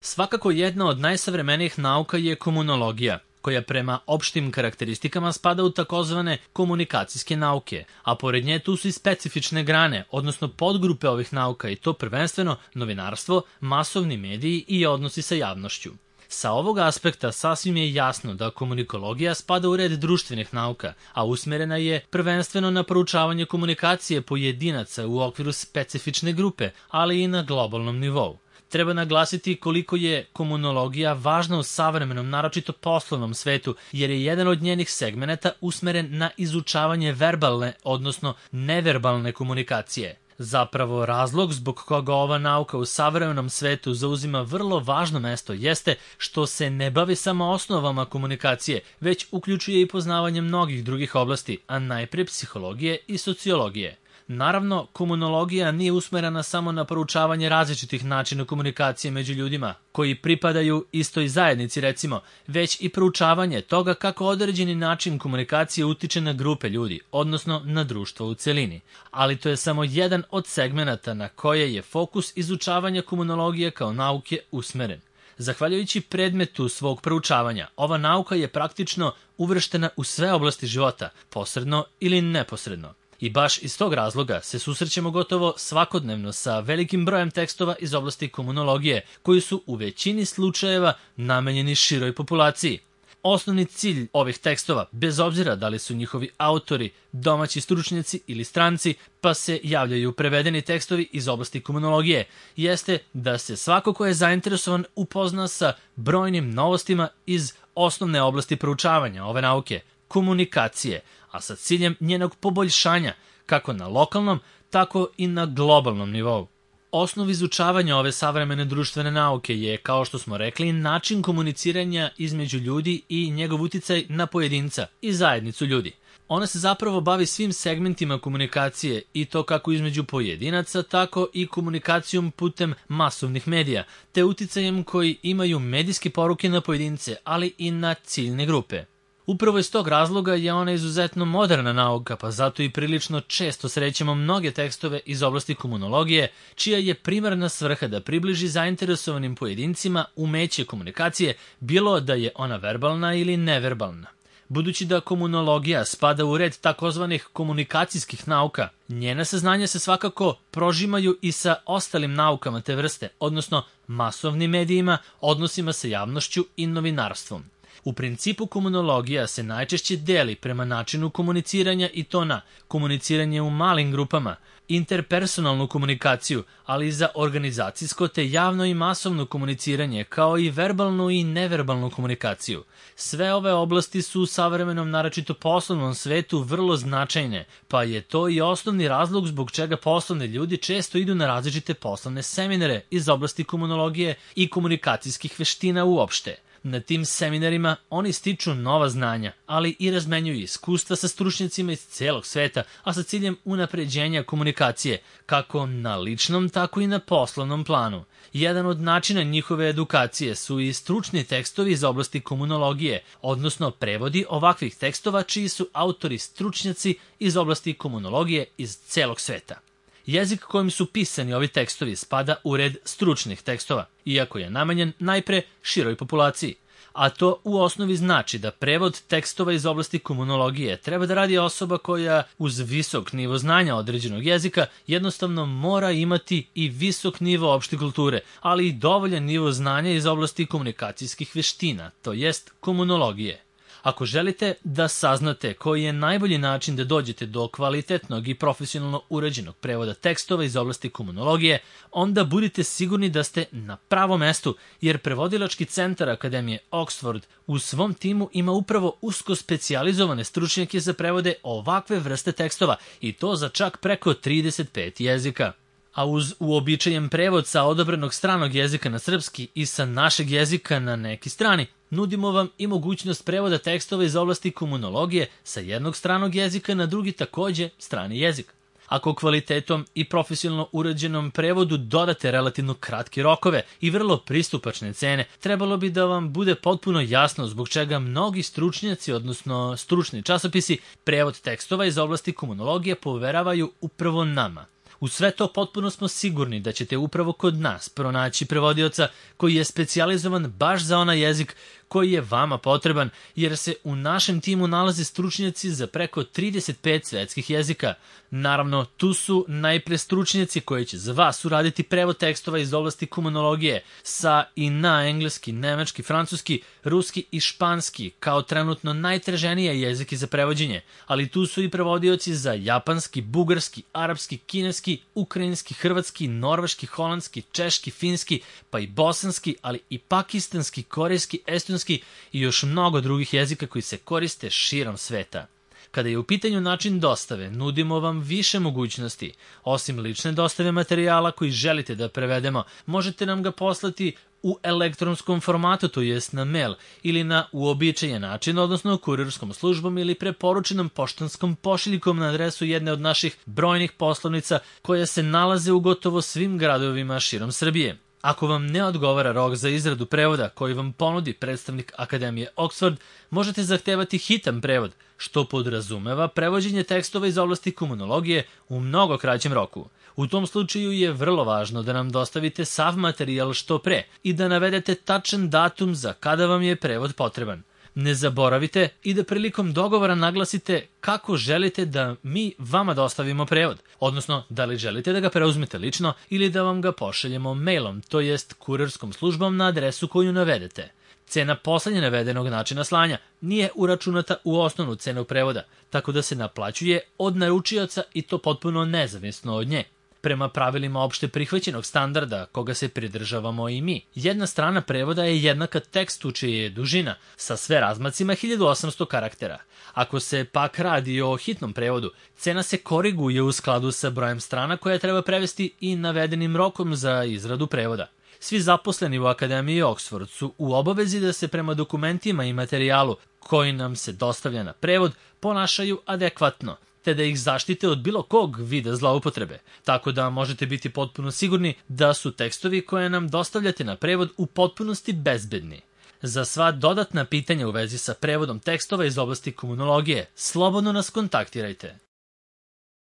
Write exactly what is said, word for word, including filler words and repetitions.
Svakako jedna od najsavremenijih nauka je komunologija, koja prema opštim karakteristikama spada u takozvane komunikacijske nauke, a pored nje tu su i specifične grane, odnosno podgrupe ovih nauka i to prvenstveno novinarstvo, masovni mediji i odnosi sa javnošću. Sa ovog aspekta sasvim je jasno da komunikologija spada u red društvenih nauka, a usmerena je prvenstveno na proučavanje komunikacije pojedinaca u okviru specifične grupe, ali i na globalnom nivou. Treba naglasiti koliko je komunologija važna u savremenom, naročito poslovnom svetu, jer je jedan od njenih segmenata usmeren na izučavanje verbalne, odnosno neverbalne komunikacije. Zapravo, razlog zbog koga ova nauka u savremenom svetu zauzima vrlo važno mesto jeste što se ne bavi samo osnovama komunikacije, već uključuje i poznavanje mnogih drugih oblasti, a najpre psihologije i sociologije. Naravno, komunologija nije usmerena samo na proučavanje različitih načina komunikacije među ljudima, koji pripadaju istoj zajednici recimo, već i proučavanje toga kako određeni način komunikacije utiče na grupe ljudi, odnosno na društvo u celini. Ali to je samo jedan od segmenata na koje je fokus izučavanja komunologije kao nauke usmeren. Zahvaljujući predmetu svog proučavanja, ova nauka je praktično uvrštena u sve oblasti života, posredno ili neposredno. I baš iz tog razloga se susrećemo gotovo svakodnevno sa velikim brojem tekstova iz oblasti komunologije, koji su u većini slučajeva namenjeni široj populaciji. Osnovni cilj ovih tekstova, bez obzira da li su njihovi autori domaći stručnjaci ili stranci, pa se javljaju prevedeni tekstovi iz oblasti komunologije, jeste da se svako ko je zainteresovan upozna sa brojnim novostima iz osnovne oblasti proučavanja ove nauke, komunikacije, a sa ciljem njenog poboljšanja, kako na lokalnom, tako i na globalnom nivou. Osnov izučavanja ove savremene društvene nauke je, kao što smo rekli, način komuniciranja između ljudi i njegov uticaj na pojedinca i zajednicu ljudi. Ona se zapravo bavi svim segmentima komunikacije i to kako između pojedinaca, tako i komunikacijom putem masovnih medija, te uticajem koji imaju medijske poruke na pojedince, ali i na ciljne grupe. Upravo iz tog razloga je ona izuzetno moderna nauka, pa zato i prilično često srećemo mnoge tekstove iz oblasti komunologije, čija je primarna svrha da približi zainteresovanim pojedincima umeće komunikacije, bilo da je ona verbalna ili neverbalna. Budući da komunologija spada u red takozvanih komunikacijskih nauka, njena saznanja se svakako prožimaju i sa ostalim naukama te vrste, odnosno masovnim medijima, odnosima sa javnošću i novinarstvom. U principu komunologija se najčešće deli prema načinu komuniciranja i to na komuniciranje u malim grupama, interpersonalnu komunikaciju, ali i za organizacijsko te javno i masovno komuniciranje, kao i verbalnu i neverbalnu komunikaciju. Sve ove oblasti su u savremenom, naročito poslovnom svetu vrlo značajne, pa je to i osnovni razlog zbog čega poslovni ljudi često idu na različite poslovne seminare iz oblasti komunologije i komunikacijskih veština uopšte. Na tim seminarima oni stiču nova znanja, ali i razmenjuju iskustva sa stručnjacima iz celog sveta, a sa ciljem unapređenja komunikacije, kako na ličnom, tako i na poslovnom planu. Jedan od načina njihove edukacije su i stručni tekstovi iz oblasti komunologije, odnosno prevodi ovakvih tekstova čiji su autori stručnjaci iz oblasti komunologije iz celog sveta. Jezik kojim su pisani ovi tekstovi spada u red stručnih tekstova, iako je namenjen najpre široj populaciji. A to u osnovi znači da prevod tekstova iz oblasti komunologije treba da radi osoba koja uz visok nivo znanja određenog jezika jednostavno mora imati i visok nivo opšte kulture, ali i dovoljan nivo znanja iz oblasti komunikacijskih veština, to jest komunologije. Ako želite da saznate koji je najbolji način da dođete do kvalitetnog i profesionalno urađenog prevoda tekstova iz oblasti komunologije, onda budite sigurni da ste na pravom mestu, jer prevodilački centar Akademije Oxford u svom timu ima upravo usko specijalizovane stručnjake za prevode ovakve vrste tekstova i to za čak preko trideset pet jezika. A uz uobičajen prevod sa odabranog stranog jezika na srpski i sa našeg jezika na neki strani, nudimo vam i mogućnost prevoda tekstova iz oblasti komunologije sa jednog stranog jezika na drugi takođe strani jezik. Ako kvalitetom i profesionalno urađenom prevodu dodate relativno kratke rokove i vrlo pristupačne cene, trebalo bi da vam bude potpuno jasno zbog čega mnogi stručnjaci, odnosno stručni časopisi, prevod tekstova iz oblasti komunologije poveravaju upravo nama. U sve to potpuno smo sigurni da ćete upravo kod nas pronaći prevodioca koji je specijalizovan baš za onaj jezik koji je vama potreban, jer se u našem timu nalaze stručnjaci za preko trideset pet svetskih jezika. Naravno, tu su najpre stručnjaci koji će za vas uraditi prevod tekstova iz oblasti komunologije sa i na engleski, nemački, francuski, ruski i španski kao trenutno najtraženije jezike za prevođenje, ali tu su i prevodioci za japanski, bugarski, arapski, kineski, ukrajinski, hrvatski, norveški, holandski, češki, finski, pa i bosanski, ali i pakistanski, korejski, estonski i još mnogo drugih jezika koji se koriste širom sveta. Kada je u pitanju način dostave, nudimo vam više mogućnosti. Osim lične dostave materijala koji želite da prevedemo, možete nam ga poslati u elektronskom formatu, to jest na mail, ili na uobičajen način, odnosno kurirskom službom ili preporučenom poštanskom pošiljkom na adresu jedne od naših brojnih poslovnica koja se nalaze u gotovo svim gradovima širom Srbije. Ako vam ne odgovara rok za izradu prevoda koji vam ponudi predstavnik Akademije Oxford, možete zahtevati hitan prevod, što podrazumeva prevođenje tekstova iz oblasti komunologije u mnogo kraćem roku. U tom slučaju je vrlo važno da nam dostavite sav materijal što pre i da navedete tačan datum za kada vam je prevod potreban. Ne zaboravite i da prilikom dogovora naglasite kako želite da mi vama dostavimo prevod, odnosno da li želite da ga preuzmete lično ili da vam ga pošaljemo mailom, to jest kurirskom službom na adresu koju navedete. Cena poslednje navedenog načina slanja nije uračunata u osnovnu cenu prevoda, tako da se naplaćuje od naručioca i to potpuno nezavisno od nje. Prema pravilima opšte prihvaćenog standarda, koga se pridržavamo i mi, jedna strana prevoda je jednaka tekstu čija je dužina, sa sve razmacima hiljadu osamsto karaktera. Ako se pak radi o hitnom prevodu, cena se koriguje u skladu sa brojem strana koja treba prevesti i navedenim rokom za izradu prevoda. Svi zaposleni u Akademiji Oxford su u obavezi da se prema dokumentima i materijalu koji nam se dostavlja na prevod ponašaju adekvatno, te da ih zaštite od bilo kog vida zloupotrebe, tako da možete biti potpuno sigurni da su tekstovi koje nam dostavljate na prevod u potpunosti bezbedni. Za sva dodatna pitanja u vezi sa prevodom tekstova iz oblasti komunologije, slobodno nas kontaktirajte.